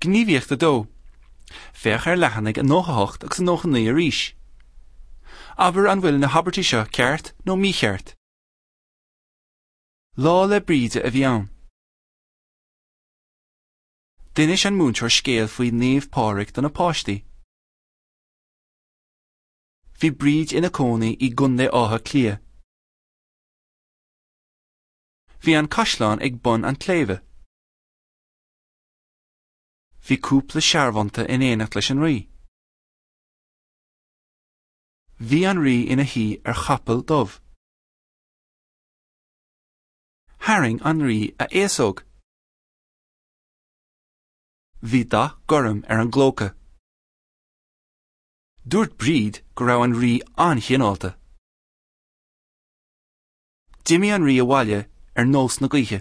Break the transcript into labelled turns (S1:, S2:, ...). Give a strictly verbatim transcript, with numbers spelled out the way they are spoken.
S1: Gníomhaíocht a dó. Féach ar leathanaigh nócha a hocht agus nócha naoi arís. Abair an bhfuil na habairtí seo ceart nó mícheart. Lá 'le Bríde a bhí ann. D'inis an múinteoir scéal faoi Naomh Pádraig do na páistí. Bhí Bríd ina cónaí i gContae Átha Cliath. Bhí an caisleán ag bun an tsléibhe. Bhí cúpla searbhónta in éineacht leis an rí. Bhí an rí ina shuí ar chapall dubh. Tharraing an rí a fhéasóg. Bhí dath gorm ar an gclóca. Dúirt Bríd go raibh an rí an-chineálta. D'imigh an rí abhaile ar nós na gaoithe.